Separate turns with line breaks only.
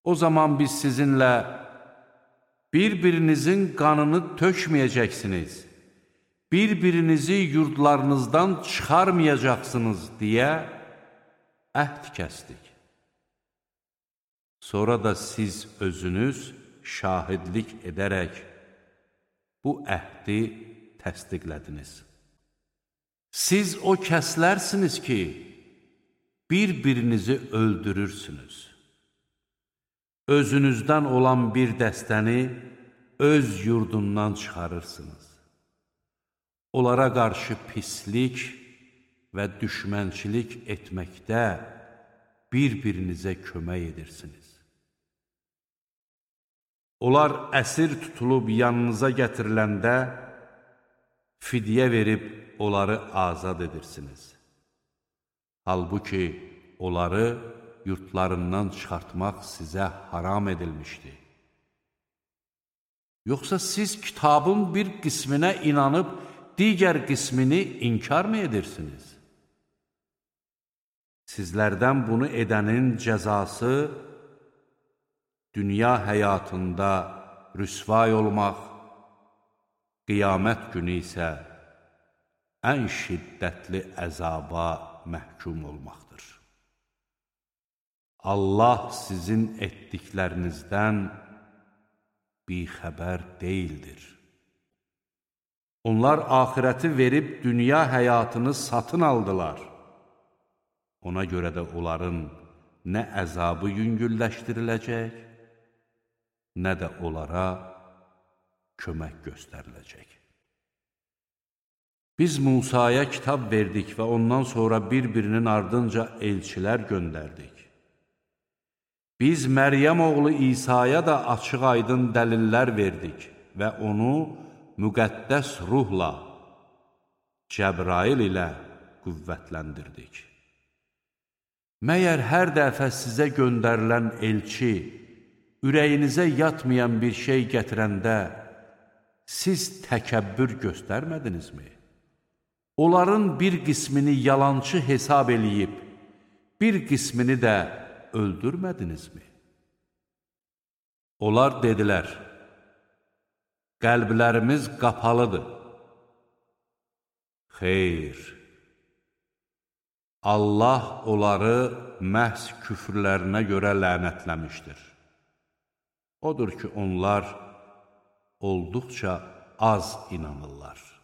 O zaman biz sizinlə bir-birinizin qanını tökməyəcəksiniz, bir-birinizi yurdlarınızdan çıxarmayacaqsınız deyə əhd kəsdik. Sonra da siz özünüz şahidlik edərək bu əhdi təsdiqlədiniz. Siz o kəslərsiniz ki, bir-birinizi öldürürsünüz. Özünüzdən olan bir dəstəni öz yurdundan çıxarırsınız. Onlara qarşı pislik və düşmənçilik etməkdə bir-birinizə kömək edirsiniz. Onlar əsir tutulub yanınıza gətiriləndə fidyə verib onları azad edirsiniz. Halbuki onları yurtlarından çıxartmaq sizə haram edilmişdi. Yoxsa siz kitabın bir qisminə inanıb, digər qismini inkar mı edirsiniz? Sizlərdən bunu edənin cəzası dünya həyatında rüsvay olmaq, qiyamət günü isə ən şiddətli əzaba məhkum olmaqdır. Allah sizin etdiklərinizdən bixəbər deyildir. Onlar axirəti verib dünya həyatını satın aldılar. Ona görə də onların nə əzabı yüngülləşdiriləcək, nə də onlara kömək göstəriləcək. Biz Musaya kitab verdik və ondan sonra bir-birinin ardınca elçilər göndərdik. Biz Məryəm oğlu İsa'ya da açıq-aydın dəlillər verdik və onu müqəddəs ruhla, Cəbrail ilə qüvvətləndirdik. Məyər hər dəfə sizə göndərilən elçi, ürəyinizə yatmayan bir şey gətirəndə, siz təkəbbür göstərmədinizmi? Onların bir qismini yalançı hesab eləyib, bir qismini də öldürmədinizmi? Onlar dedilər, qəlblərimiz qapalıdır. Xeyr, Allah onları məhz küfrlərinə görə lənətləmişdir. Odur ki, onlar olduqca az inanırlar.